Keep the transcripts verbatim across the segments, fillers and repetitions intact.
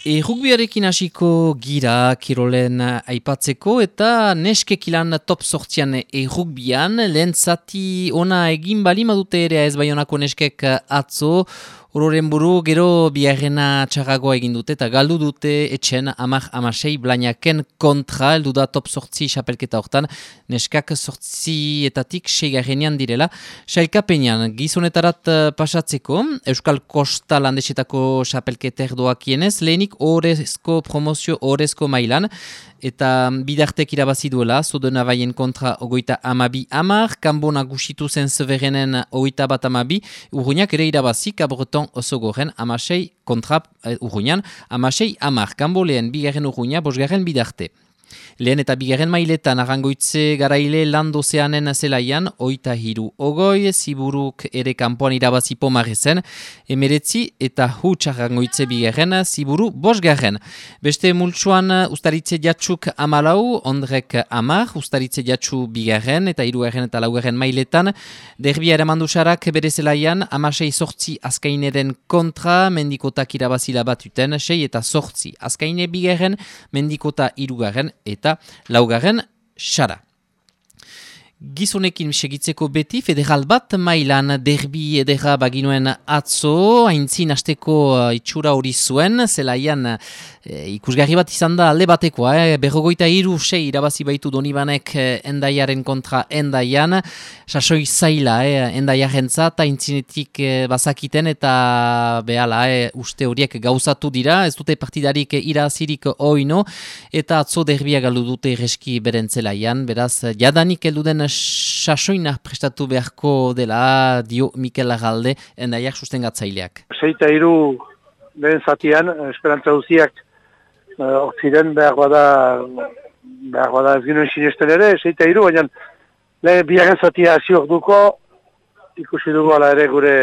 E rugbiarekin hasiko gira kirolen aipatzeko eta neskek ilan top sortzian e rugbian, lehen zati ona egin bali madute ere ez Baionako neskek atzo, ororen buru gero biharrena txarragoa egin dute eta galdu dute etxen amak amasei blainaken kontra, eldu da top sortzi xapelketa hortan, neskak sortzietatik seigarrenean direla. Sailkapenean gizonetarat pasatzeko, Euskal Kosta landesetako xapelketer doakienez, lehenik orezko promozio orezko mailan, eta bidartek irabazi duela, Zodena baien kontra ogoita amabi amar, kanbo nagusitu zen zeverenen ogoita bat amabi, urruñak ere irabazi, Kabreton oso goren amasei kontra uh, urruñan, amasei amar, kanbo lehen bigarren urruña, bosgarren bidarte. Lehen eta bigarren mailetan arrangoitze garaile landozeanen zelaian, oita hiru ogoi, ziburuk ere kanpoan irabazi pomarrezen, emeretzi eta huts arrangoitze bigarren, ziburu bosgarren. Beste multsuan ustaritze jatsuk amalau, ondrek amar, ustaritze jatsu bigarren eta hirugarren eta laugarren mailetan, derbia eramandusarak bere zelaian, amasei sortzi azkaineren kontra, mendikotak irabazila batuten, sei eta sortzi. Azkaine bigarren, mendikota hirugarren, eta laugarren xara. Gizonekin segitzeko beti, federal bat mailan derbi edera baginuen atzo, haintzin hasteko uh, itxura hori zuen, zelaian uh, ikusgarri bat izan da alde batekoa, eh? berrogoita iru sei irabazi baitu Donibanek eh, endaiaren kontra endaian, sasoi zaila eh? endaiaren zat, haintzinetik eh, bazakiten eta behala eh? uste horiek gauzatu dira, ez dute partidarik irazirik oino, eta atzo derbia galdu dute reski beren zelaian, beraz jadanik elduden sasoina prestatu beharko dela, dio Mikel Larralde, endaiak sustengatzaileak. Seita iru lehen zatian, esperantza guziak hortziren uh, behar bada, behar bada ez ginen sinesten ere, seita iru, baina lehen biaren zatia hasi orduko, ikusi dugu ala ere gure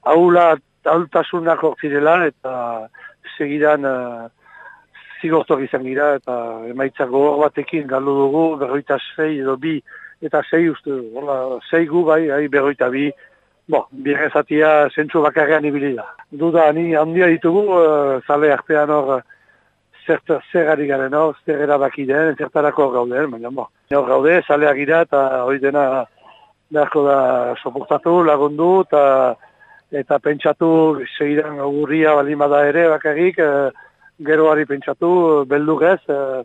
aula, ahultasunak hortzirela, eta segidan uh, zigortok izan gira, eta emaitzak gogor batekin galdu dugu, berroita sei edo bi, eta sei uste, hola, sei gu bai, hai berroita bi, bo, biaren zatia zentsu bakarrean ibili da. Duda, ni handia ditugu, uh, zale artean hor, zert, zer ari garen hor, zer erabaki den, zertarako gauden, baina bo. Hor gaude, zaleak gira, eta hori dena beharko da soportatu, lagundu, eta, eta pentsatu, segidan augurria balimada ere, bakarrik, uh, geroari pentsatu, beldugez, uh,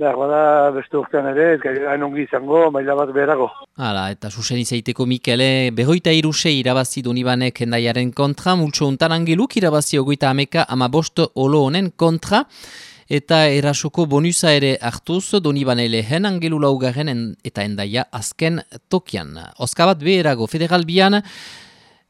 behar bada beste urtean ere, ez hain ongi izango, maila bat beherago. Hala, eta zuzen izaiteko Mikele, berroita iruse irabazi Donibanek endaiaren kontra, multso untan angeluk irabazi ogoita ameka ama bost olo honen kontra, eta erasoko bonusa ere hartuz, Donibane lehen angelu laugarren en, eta endaia azken tokian. Oskabat beherago, federal bian,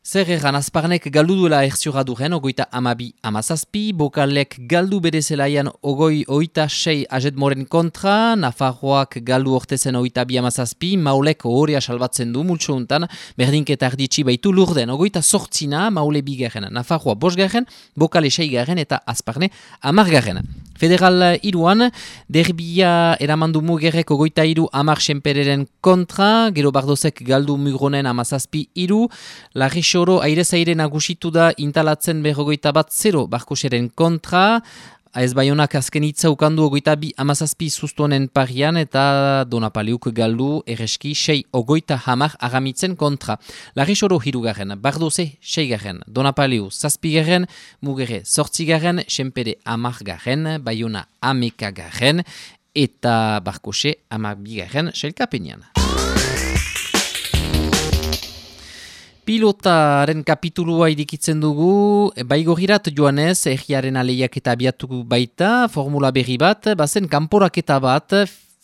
zer egan azparnek galdu duela erziora duren, ogoita amabi amazazpi, bokalek galdu bere zelaian ogoi oita sei ajetmoren kontra, Nafarroak galdu ortezen oita bi amazazpi, maulek horrea salbatzen du multso untan, berdinketa arditsi baitu lurden, ogoita sortzina, maule bigarren, Nafarroa bosgarren, bokale seigarren eta azparne amargarren. Federal iruan, derbia eramandu mugerrek ogoita iru amar senpereren kontra, gero bardozek galdu mugronen amazazpi iru, larri Xoro aire-zaire nagusitu da intalatzen berrogoita bat zero barkoseren kontra, ez Baionak azken hitza ukandu ogoita bi amazazpi zuztuonen parian eta Donapaliuk galdu erreski sei ogoita hamar agamitzen kontra. Larri Xoro hirugarren, bardoze seigarren, Donapaliu zazpigarren, mugere zortzigarren, senpere amargarren, Baiona amekagarren eta barkose amabigarren sailkapenean. Pilotaren kapitulua irikitzen dugu, baigogirat joanez, erriaren aleiak eta abiatuko baita, formula berri bat, bazen kanporaketa bat,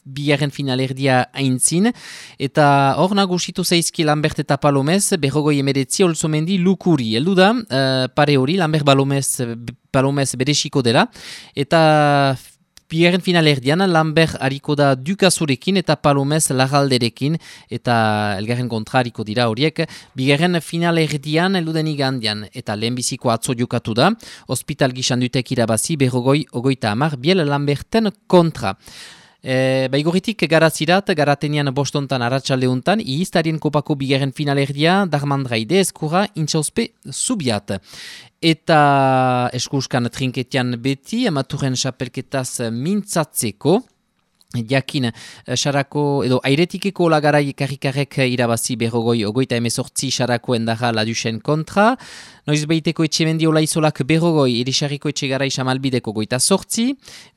bigarren finalerdia aintzin, eta hor nagusitu zaizki Lambert eta Palomez, berrogoi emeretzi olzomendi lukuri. Eldu da, uh, pare hori, Lambert Palomez, Palomez beresiko dela, eta bigarren finalerdian, Lambert hariko da Dukazurekin eta Palomez Larralderekin, eta elgarren kontra hariko dira horiek. Bigarren finalerdian, elduden igandian, eta lehenbiziko atzo jokatu da, hospital gisan dutek irabazi, berrogoi, ogoita amar, biel Lamberten kontra. E, Baigorritik garazirat, garatenian bostontan arratsaldeuntan, ihiztarien kopako bigarren finalerdia, Darmandraide eskura intxauzpe zubiat. Eta eskuskan trinketian beti, amaturen xapelketaz mintzatzeko, jakin, xarako, edo airetikeko lagarai karrikarek irabazi berrogoi ogoita emezortzi xarako endaja ladusen kontra, noiz behiteko etxemendi olaizolak berrogoi erisarriko etxegarai xamalbideko goita sortzi,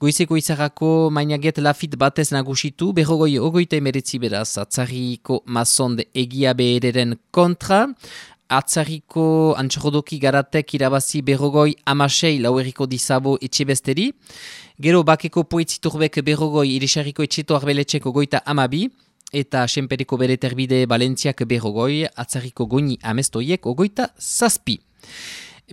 goizeko izarrako mainaget lafit batez nagusitu, berrogoi ogoita emeretzi beraz, atzarriko mazonde egia behereren kontra, atzarriko antxordoki garatek irabazi berrogoi amasei laueriko dizabo etxebesteri, gero bakeko poetziturbek berrogoi irisarriko etxeto arbeletxeko goita amabi, eta senperiko bere terbide Balentziak berrogoi, atzarriko goini amestoiek ogoita zazpi.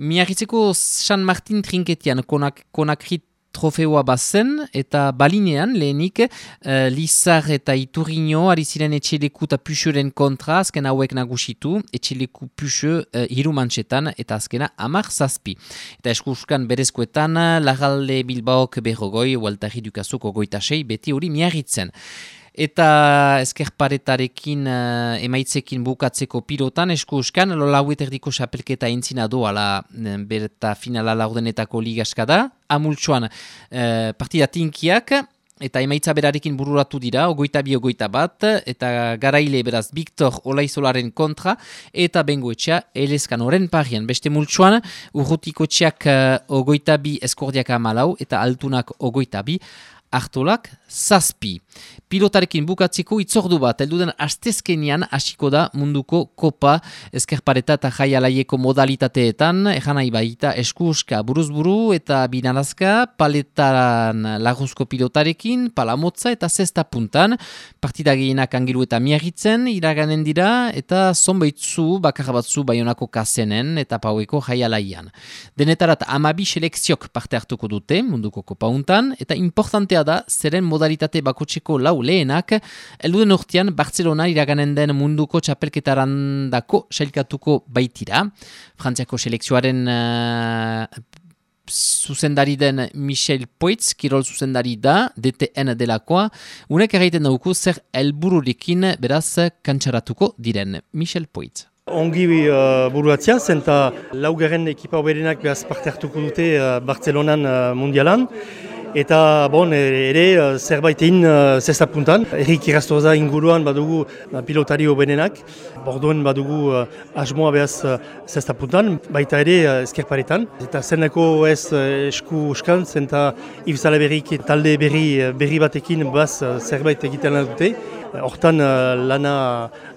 Miarritzeko San Martin trinketian konak, konakrit trofeoa bazen, eta balinean lehenik uh, Lizar eta Iturriño ari ziren etxeleku eta puxoren kontra, azken hauek nagusitu, etxeleku puxo uh, hiru mantxetan, eta azkena amar zazpi. Eta eskuskan berezkoetan, Larralde Bilbaok berrogoi, Waltari Dukazuk ogoita sei, beti hori miarritzen. Eta eskerparetarekin uh, emaitzekin bukatzeko pilotan eskuskan, lauet erdiko xapelketa entzina doala berta finala laurdenetako ligaskada, amultsuan uh, partida tinkiak, eta emaitza berarekin bururatu dira, ogoita bi ogoita bat, eta garaile beraz Victor Olaizolaren kontra, eta bengoetxea elezkan oren parian. Beste multsuan, urrutiko txeak uh, ogoita bi eskordiak amalau, eta altunak ogoita bi, Artolak zazpi. Pilotarekin bukatzeko itzordu bat, elduden astezkenian hasiko da munduko kopa eskerpareta eta jaialaieko modalitateetan, ejan nahi baita eskuska buruzburu eta binalazka, paletaran laguzko pilotarekin, palamotza eta zesta puntan, partida gehienak angilu eta miarritzen, iraganen dira, eta zonbaitzu bakar batzu Baionako kasenen eta paueko jaialaian. Denetarat amabi selekziok parte hartuko dute munduko kopa untan, eta importantea da zeren modalitate bakotseko lau lehenak, elduden urtean Barcelona iraganen den munduko txapelketarandako sailkatuko baitira. Frantziako selekzioaren uh, zuzendari den Michel Poitz, kirol zuzendari da, D T N delakoa, unek erraiten dauku zer helbururekin beraz kantxaratuko diren Michel Poitz. Ongi uh, buruatzia, zenta laugarren ekipa oberenak behaz parte hartuko dute uh, Barcelonan uh, mundialan. Eta bon, ere zerbait egin uh, zesta puntan. Erik Irastorza inguruan badugu uh, pilotari obenenak. Borduen badugu uh, asmoa behaz uh, zesta puntan, baita ere uh, eskerparetan. Eta zeneko ez uh, esku uskan, zenta Ibzala berrik talde berri, berri batekin baz uh, zerbait egiten lan dute. Hortan uh, lana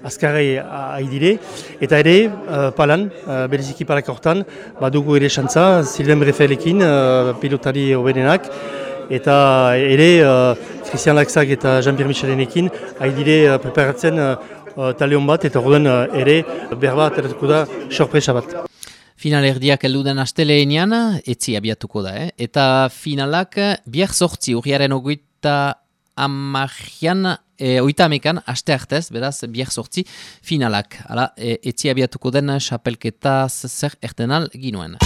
azkarrai haidire. Eta ere, uh, palan, uh, bereziki palak hortan, badugu ere xantza, Sylvain Brefelekin, uh, pilotari obenenak. Eta ere, uh, Christian Laxak eta Jean-Pierre Michelenekin haidire uh, preparatzen uh, talion bat, eta orduan uh, ere berba ateratuko da sorpresa bat. Final erdiak elduden asteleenean, etzi abiatuko da, eh? Eta finalak biak sortzi, urriaren ogoita amajian, e, oita amekan, aste hartez, beraz, biak sortzi finalak. Hala, e, etzi abiatuko den xapelketa zer ertenal ginuen.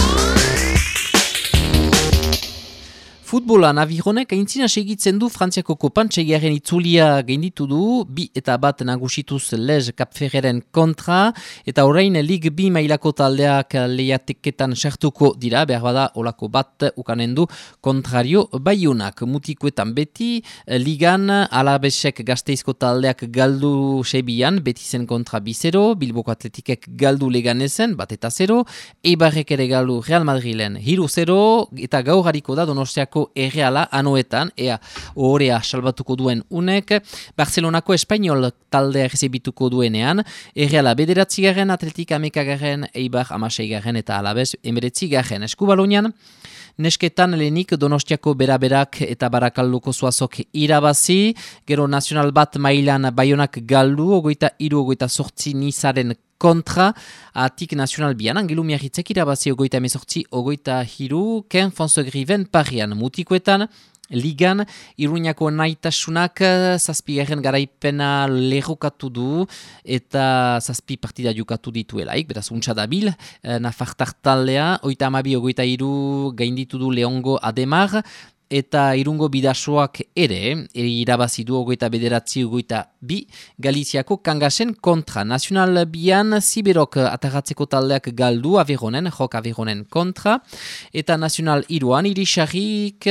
Futbolan Avironek aintzina segitzen du Frantziako kopan txegiaren itzulia gainditu du, bi eta bat nagusituz Lez Kapferreren kontra, eta orain Lig bi mailako taldeak lehiateketan sartuko dira, behar bada olako bat ukanen du kontrario Baiunak. Mutikoetan beti, Ligan Alabesek Gasteizko taldeak galdu sebian, betizen kontra bizero, Bilboko Atletikek galdu Leganezen, bat eta zero, Eibarrek ere galdu Real Madrilen hiru zero, eta gaur hariko da Donostiako Erreala anoetan, ea ohorea salbatuko duen unek, Barcelonako Espainol taldea errezibituko duenean, Erreala bederatzigarren, Atletik amekagaren, Eibar amaseigarren eta Alabez emeretzigarren. Eskubalonian, nesketan lehenik Donostiako beraberak eta Barakalduko Zuazok irabazi, gero nazional bat mailan Baionak galdu, ogoita iru, ogoita sortzi nizaren kontra, atik nazional bian, angelu miarritzek irabazi ogoita emezortzi, ogoita hiru, Ken Fonsegriven parian mutikoetan, Ligan, Iruñako naitasunak zazpigarren garaipena lerrokatu du eta zazpi partida jokatu dituelaik, beraz untsa dabil, Nafartar taldea, oita amabi ogoita hiru gainditu du Leongo Ademar, eta Irungo bidasoak ere, irabazi du ogoita bederatzi ogoita bi, Galiziako kangasen kontra. Nacional bian Ziberok atagatzeko taldeak galdu Averonen, jok Averonen kontra, eta Nacional iruan Irisarrik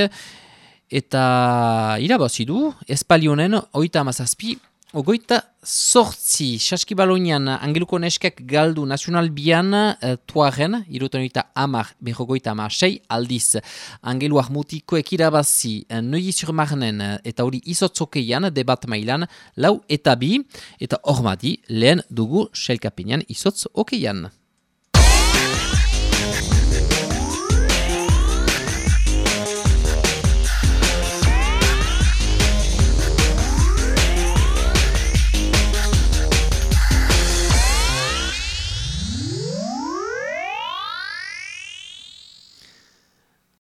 eta irabazi du Espalionen oita amazazpi, ogoita sortzi. Saskibalonian Angeluko neskek galdu Nacional bian uh, tuaren, irutonoita amar, berrogoita amar, sei aldiz. Angeluak mutikoek irabazi uh, Neuilly sur Marnen uh, eta hori izotzokeian, debat mailan, lau eta bi, eta hormadi lehen dugu selkapenean izotz okeian.